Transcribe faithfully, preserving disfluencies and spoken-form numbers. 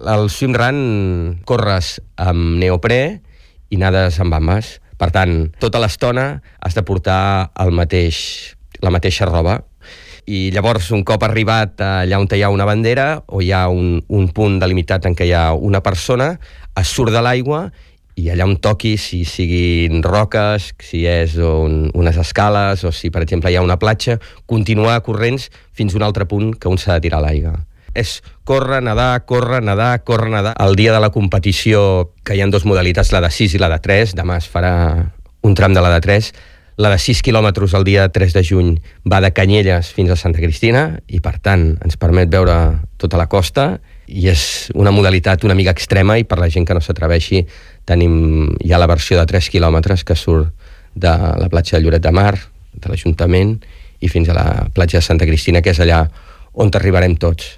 Al swimrun corres amb neoprè i nades amb bambes. Per tant, tota l'estona has de portar el mateix, la mateixa roba. I llavors, un cop arribat allà on hi ha una bandera o hi ha un, un punt delimitat en què hi ha una persona, es surt de l'aigua i allà on toqui, si siguin roques, si és un, unes escales o si, per exemple, hi ha una platja, continuar corrents fins a un altre punt que un s'ha de tirar a l'aigua. És córrer, nedar, córrer, nedar, córrer, nedar. El dia de la competició, que hi ha dues modalitats, la de sis i la de tres, demà es farà un tram de la de tres, la de sis quilòmetres el dia tres de juny va de Canyelles fins a Santa Cristina i, per tant, ens permet veure tota la costa i és una modalitat una mica extrema i per la gent que no s'atreveixi tenim ja la versió de tres quilòmetres que surt de la platja de Lloret de Mar, de l'Ajuntament, i fins a la platja de Santa Cristina, que és allà on arribarem tots.